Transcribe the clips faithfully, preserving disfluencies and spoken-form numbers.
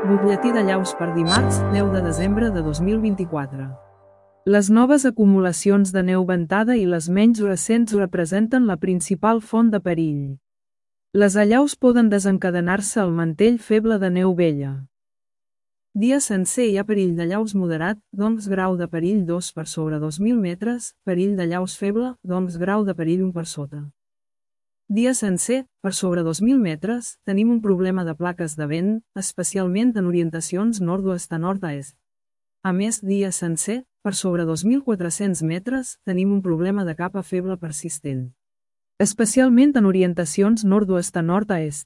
Butlletí de llaus per dimarts, deu de desembre de dos mil vint-i-quatre. Les noves acumulacions de neu ventada i les menys recents representen la principal font de perill. Les allaus poden desencadenar-se al mantell feble de neu vella. Dia sencer hi ha perill d'allaus moderat, doncs grau de perill dos per sobre dos mil metres, perill d'allaus feble, doncs grau de perill un per sota. Dia sencer, per sobre dos mil metres, tenim un problema de plaques de vent, especialment en orientacions nord-oest a nord-est. A més, dia sencer, per sobre dos mil quatre-cents metres, tenim un problema de capa feble persistent, especialment en orientacions nord-oest a nord-est.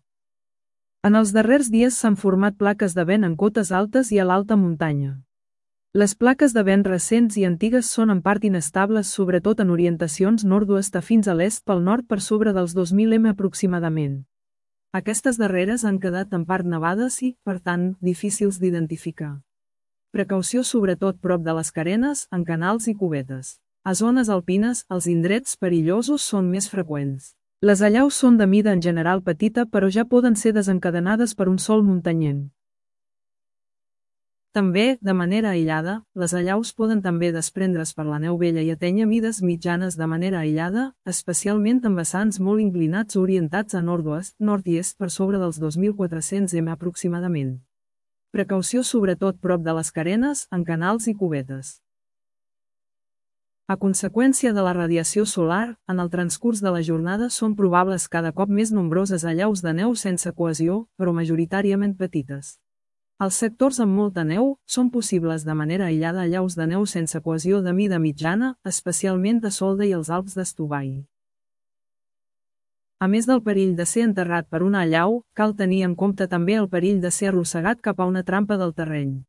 En els darrers dies s'han format plaques de vent en cotes altes i a l'alta muntanya. Les plaques de vent recents i antigues són en part inestables, sobretot en orientacions nord-oest a fins a l'est pel nord per sobre dels dos mil metres aproximadament. Aquestes darreres han quedat en part nevades i, per tant, difícils d'identificar. Precaució sobretot prop de les carenes, en canals i cubetes. A zones alpines, els indrets perillosos són més freqüents. Les allaus són de mida en general petita, però ja poden ser desencadenades per un sol muntanyent. També, de manera aïllada, les allaus poden també desprendre's per la neu vella i atènyer mides mitjanes de manera aïllada, especialment en vessants molt inclinats orientats a nord-oest, nord i est per sobre dels dos mil quatre-cents metres aproximadament. Precaució sobretot prop de les carenes, en canals i cubetes. A conseqüència de la radiació solar, en el transcurs de la jornada són probables cada cop més nombroses allaus de neu sense cohesió, però majoritàriament petites. Als sectors amb molta neu, són possibles de manera aïllada allaus de neu sense cohesió de mida mitjana, especialment a Solda i els Alps d'Estubany. A més del perill de ser enterrat per una allau, cal tenir en compte també el perill de ser arrossegat cap a una trampa del terreny.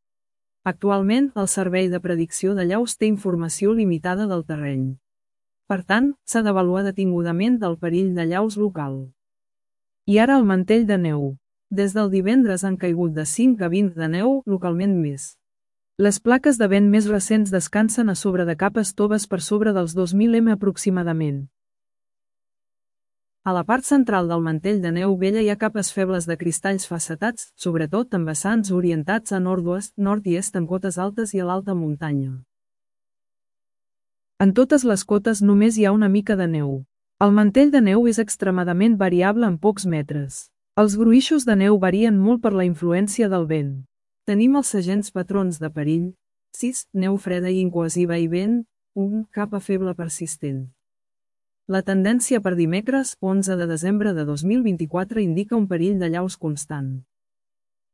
Actualment, el Servei de Predicció d'Allaus té informació limitada del terreny. Per tant, s'ha d'avaluar detingudament el perill d'allaus local. I ara el mantell de neu. Des del divendres han caigut de cinc a vint de neu, localment més. Les plaques de vent més recents descansen a sobre de capes toves per sobre dels dos mil metres aproximadament. A la part central del mantell de neu vella hi ha capes febles de cristalls facetats, sobretot en vessants orientats a nord-oest, nord i est en cotes altes i a l'alta muntanya. En totes les cotes només hi ha una mica de neu. El mantell de neu és extremadament variable en pocs metres. Els gruixos de neu varien molt per la influència del vent. Tenim els segents patrons de perill: sis, neu freda i incohesiva i vent, un, capa feble persistent. La tendència per dimecres, onze de desembre de dos mil vint-i-quatre indica un perill d'allaus constant.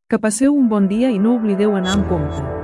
Que passeu un bon dia i no oblideu anar amb compte.